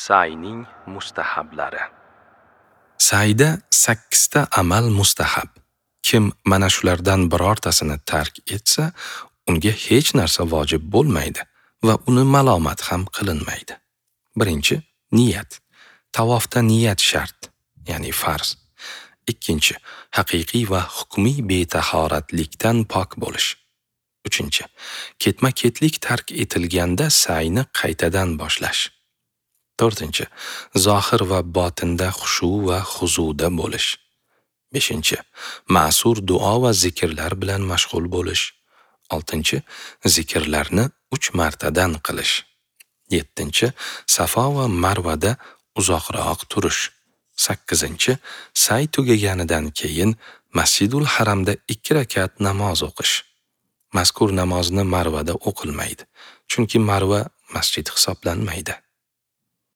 Sayning mustahablari. Sayda 8 ta amal mustahab. Kim mana shulardan birortasini tark etsa, unga hech narsa vojib bo'lmaydi va uni malomat ham qilinmaydi. Birinchi, niyat. Tavofda niyat shart, ya'ni farz. Ikkinchi, haqiqiy va hukmiy betahoratlikdan pok bo'lish. Uchinchi, ketma-ketlik tark etilganda sayni qaytadan boshlash. To'rtinchi, zohir va botinda xushu va huzuda bo'lish. Beshinchi, ma'sur duo va zikrlar bilan mashg'ul bo'lish. Oltinchi, zikrlarni 3 martadan qilish. Yettinchi, Safo va Marvada uzoqroq turish. Sakkizinchi, say tugaganidan keyin Masjidul Haramda 2 rakat namoz o'qish. Mazkur namozni Marvada o'qilmaydi, chunki Marva masjid hisoblanmaydi.